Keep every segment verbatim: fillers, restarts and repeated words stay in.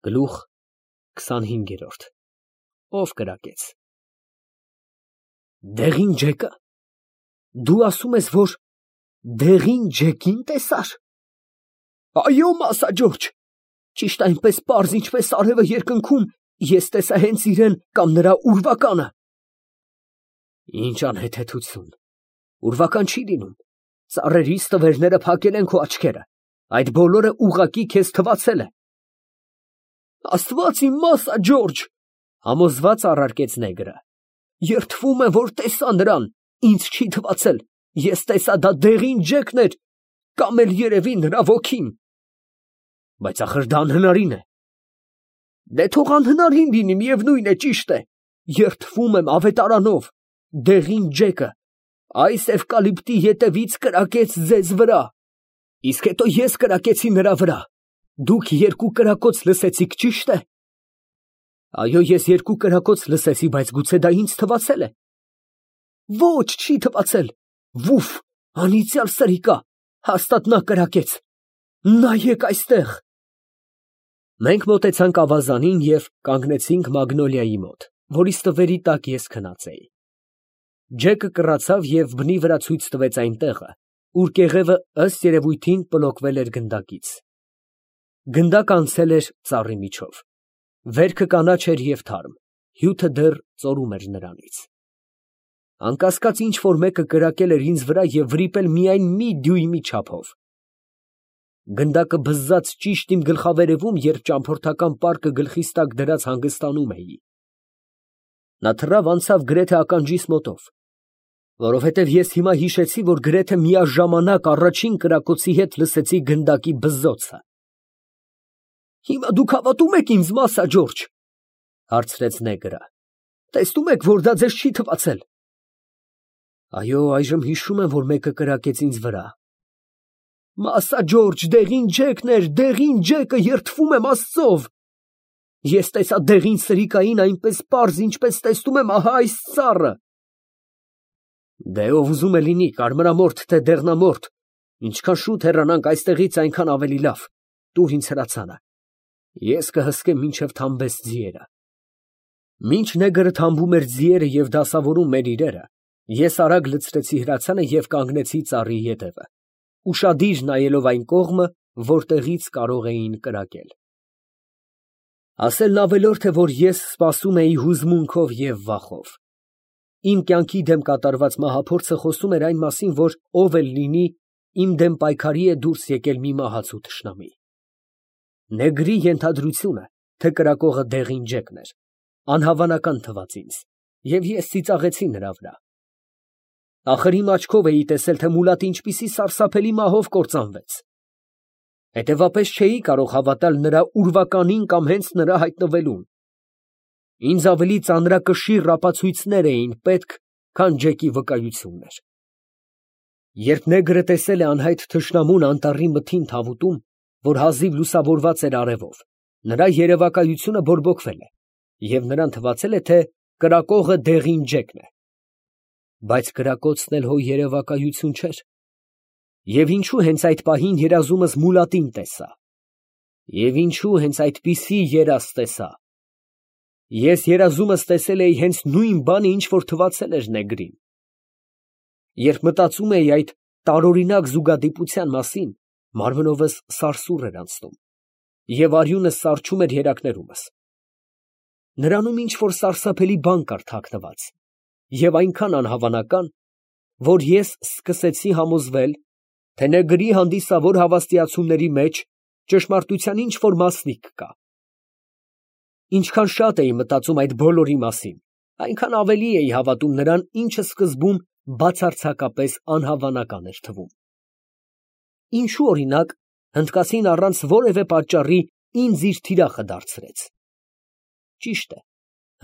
Գլուխ քսանհինգ։ Ով կրակեց։ Դեղին ջեկը։ Դու ասում ես, որ դեղին ջեկին տեսար։ Այո, Մասա Ջորջ, ճիշտ այնպես պարզ, ինչպես արևը երկնքում, ես տեսա հենց իրեն կամ նրա ուրվականը։ Ինչ անհեթեթություն, ուրվական չի լինում, ծառերից տվերները փակել են քո աչքերը, այդ բոլորը ուղղակի քեզ թվացել է։ Աստված իմ, Մասա Ջորջ, համոզված առարկեց նեգրը, երդվում եմ, որ տեսա նրան, ինձ չի թվացել, ես տեսա դա դեղին ջեկն էր, կամ էլ երևի նրա ոգին։ Բայց ախր դա անհնարին է։ Դե թող անհնարին լինի, միևնույն է, ճիշտ է, երդվում եմ ավետարանով, դեղին ջեկը այս էվկալիպտի ետևից կրակեց ձեզ վրա, իսկ հետո ես կրակեցի նրա վրա, դուք երկու կրակոց լսեցիք, ճիշտ է։ Այո, ես երկու կրակոց լսեցի, բայց գուցե դա ինձ թվացել է։ Ոչ, չի թվացել, վուֆ, անիծյալ սրիկա, հաստատ նա կրակեց, նայեք այստեղ։ Մենք մոտեցանք ավազանին և կանգնեցինք մագնոլիայի մոտ, որի ստվերի տակ ես քնած էի։ Ջեկը կռացավ և բնի վրա ցույց տվեց այն տեղը, ուր կեղևը ըստ երևույթին պլոկվել էր գնդակից։ Գնդակը անցել էր ծառի միջով։ Վերքը կանաչ էր և թարմ, հյութը դեռ ծորում էր նրանից։ Անկասկած ինչ֊որ մեկը կրակել էր ինձ վրա և վրիպել միայն մի դյույմի չափով։ Գնդակը բզզաց ճիշտ իմ գլխավերևում, երբ ճամփորդական պարկը գլխիս տակ դրած հանգստանում էի։ Նա թռավ անցավ գրեթե ականջիս մոտով, որովհետև ես հիմա հիշեցի, որ գրեթե միաժամանակ առաջին կրակոցի հետ լսեցի գնդակի բզզոցը։ Հիմա դուք հավատո՞ւմ եք ինձ, Մասա Ջորջ, հարցրեց նեգրը։ Տեսնում եք, որ դա ձեզ չի թվացել։ Այո, այժմ հիշում եմ, որ մեկը կրակեց ինձ վրա։ Մասա Ջորջ, դեղին ջեկն էր, դեղին ջեկը, երդվում եմ Աստծով։ Ես տեսա դեղին սրիկային այնպես պարզ, ինչպես տեսնում եմ ահա այս ծառը։ Դե ով ուզում է լինի, կարմրամորթ թե դեղնամորթ, ինչքան շուտ հեռանանք այստեղից, այնքան ավելի լավ, տուր ինձ հրացանը, ես կհսկեմ մինչև թամբես ձիերը։ Մինչ նեգրը թամբում էր ձիերը և դասավորում մեր իրերը, ես արագ լցրեցի հրացանը և կանգնեցի ծառի ետևը, ուշադիր նայելով այն կողմը, որտեղից կարող էին կրակել։ Ասելն ավելորդ է, որ ես սպասում էի հուզմունքով և վախով։ Իմ կյանքի դեմ կատարված մահափորձը խոսում էր այն մասին, որ ով էլ լինի, իմ դեմ պայքարի է դուրս եկել մի մահացու թշնամի։ Նեգրի ենթադրությունը, թե կրակողը դեղին ջեկն էր, անհավանական թվաց ինձ, և ես ծիծաղեցի նրա վրա։ Ախր իմ աչքով էի տեսել, թե մուլատը ինչպիսի սարսափելի մահով կործանվեց։ Հետևապես չէի կարող հավատալ նրա ուրվականին կամ հենց նրա հայտնվելուն։ Ինձ ավելի ծանրակշիռ ապացույցներ էին պետք, քան ջեկի վկայություններ։ Երբ նեգրը տեսել է անհայտ թշնամուն անտառի մթին թավուտում, որ հազիվ լուսավորված էր արևով, նրա երևակայությունը բորբոքվել է, և նրան թվացել է, թե կրակողը դեղին ջեկն է։ Բայց կրակոցն էլ հո երևակայություն չէր։ Եվ ինչու հենց այդ պահին երազումս մուլատին տեսա։ Եվ ինչու հենց այդպիսի երազ տեսա։ Ես երազումս տեսել էի հենց նույն բանը, ինչ որ թվացել էր նեգրին։ Երբ մտածում էի այդ տարօրինակ զուգադիպության մասին, մարմնովս սարսուռ էր անցնում, և արյունս սառչում էր երակներումս։ Նրանում ինչ որ սարսափելի բան կար թաքնված, և այնքան անհավանական, որ ես սկսեցի համոզվել, թե նեգրի հանդիսավոր հավաստիացումների մեջ ճշմարտության ինչ որ մասնիկ կա։ Ինչքան շատ էի մտածում այդ բոլորի մասին, այնքան ավելի էի հավատում նրան, ինչը սկզբում բացարձակապես անհավանական էր թվում։ Ինչու, օրինակ, հնդկացին առանց որևէ պատճառի ինձ իր թիրախը դարձրեց։ Ճիշտ է,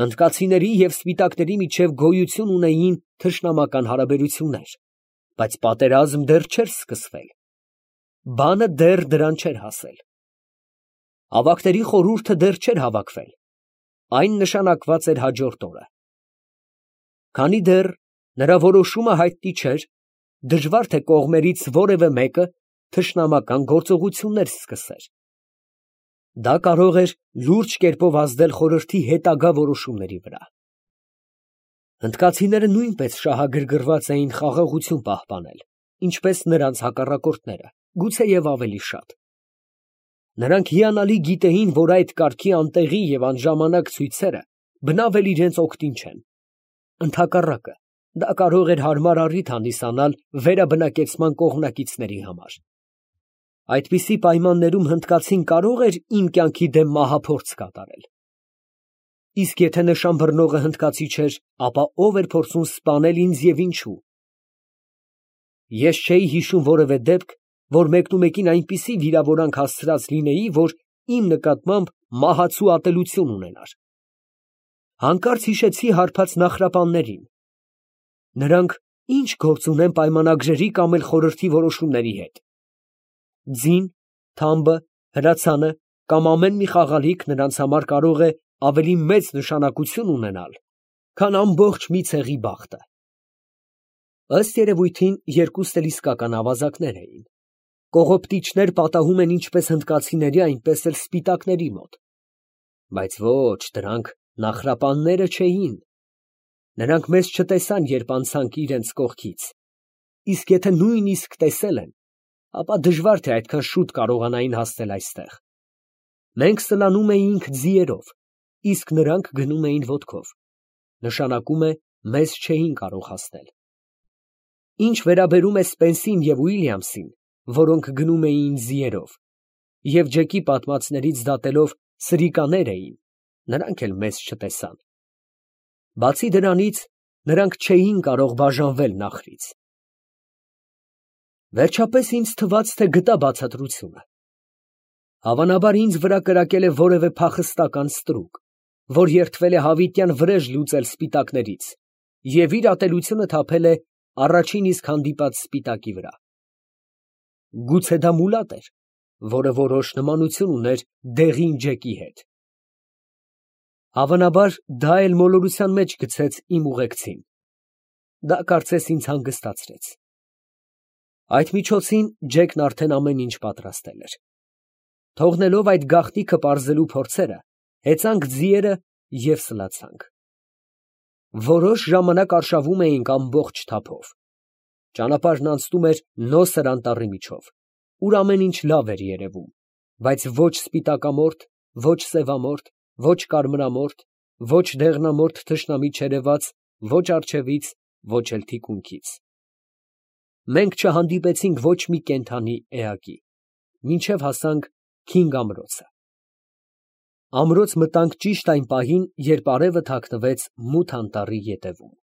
հնդկացիների և սպիտակների միջև գոյություն ունեին թշնամական հարաբերություններ, բայց պատերազմ դեռ չէր սկսվել։ Բանը դեռ դրան չէր հասել։ Ավագների խորհուրդը դեռ չէր հավաքվել, այն նշանակված էր հաջորդ օրը։ Քանի դեռ նրա որոշումը հայտնի չէր, դժվար թե կողմերից որևէ մեկը թշնամական գործողություններ սկսեր։ Դա կարող էր լուրջ կերպով ազդել խորհրդի հետագա որոշումների վրա։ Հնդկացիները նույնպես շահագրգռված էին խաղաղություն պահպանել, ինչպես նրանց հակառակորդները, գուցեև ավելի շատ։ Նրանք հիանալի գիտեին, որ այդ կարգի անտեղի և անժամանակ ցույցերը բնավել իրենց օգտին չեն։ Ընդհակառակը, դա կարող էր հարմար առիթ հանդիսանալ վերաբնակեցման կողմնակիցների համար։ Այդպիսի պայմաններում հնդկացին կարող էր իմ կյանքի դեմ մահափորձ կատարել։ Իսկ եթե նշան բռնողը հնդկացի չէր, ապա ո՞վ էր փորձում սպանել ինձ և ինչու։ Ես չէի հիշում որևէ դեպք, որ մեկնումեկին այնպիսի վիրավորանք հասցրած լինեի, որ իմ նկատմամբ մահացու ատելություն ունենար։ Հանկարծ հիշեցի հարբած նախրապաններին։ Նրանք ի՞նչ գործ ունեն պայմանագրերի կամ էլ խորհրդի որոշումների հետ։ Ձին, թամբը, հրացանը կամ ամեն մի խաղալիք նրանց համար կարող է ավելի մեծ նշանակություն ունենալ, քան ամբողջ մի ցեղի բախտը։ Ըստ երևույթին, երկուստ էլ իսկական ավազակներ էին։ Կողոպտիչներ պատահում են ինչպես հնդկացիների, այնպես էլ սպիտակների մոտ։ Բայց ոչ, դրանք նախրապանները չէին։ Նրանք մեզ չտեսան, երբ անցանք իրենց կողքից, իսկ եթե նույնիսկ տեսել են, ապա դժվար թե այդքան շուտ կարողանային հասնել այստեղ։ Մենք սլանում էինք ձիերով, իսկ նրանք գնում էին ոտքով, նշանակում է մեզ չէին կարող հասնել։ Ինչ վերաբերում է Սպենսին և Ուիլյամսին, որոնք գնում էին ձիերով, և Ջեկի պատմածներից դատելով սրիկաներ էին, նրանք էլ մեզ չտեսան։ Բացի դրանից, նրանք չէին կարող բաժանվել նախրից։ Վերջապես ինձ թվաց, թե գտա բացատրությունը։ Հավանաբար ինձ վրա կրակել է որևէ փախստական ստրուկ, որ երդվել է հավիտյան վրեժ լուծել սպիտակներից և իր ատելությունը թափել է առաջին իսկ հանդիպած սպիտակի վրա։ Գուցե դա Մուլատ էր, որը որոշ նմանություն ուներ դեղին Ջեկի հետ։ Հավանաբար դա էլ մոլորության մեջ գցեց իմ ուղեկցին։ Դա կարծես ինձ հանգստացրեց։ Այդ միջոցին Ջեկն արդեն ամեն ինչ պատրաստել էր։ Թողնելով այդ գաղտնիքը պարզելու փորձերը, հեծանք ձիերը և սլացանք։ Որոշ ժամանակ արշավում էինք ամբողջ թափով։ Ճանապարհն անցնում էր նոսր անտառի միջով, ուր ամեն ինչ լավ էր երևում, բայց ոչ սպիտակամորթ, ոչ սևամորթ, ոչ կարմրամորթ, ոչ դեղնամորթ թշնամի չերևաց ոչ առջևից, ոչ էլ թիկունքից։ Մենք չհանդիպեցինք ոչ մի կենդանի էակի, մինչև հասանք Քինգ ամրոցը։ Ամրոց մտանք ճիշտ այն պահին, երբ արևը թաքնվեց մութ անտառի ետևում։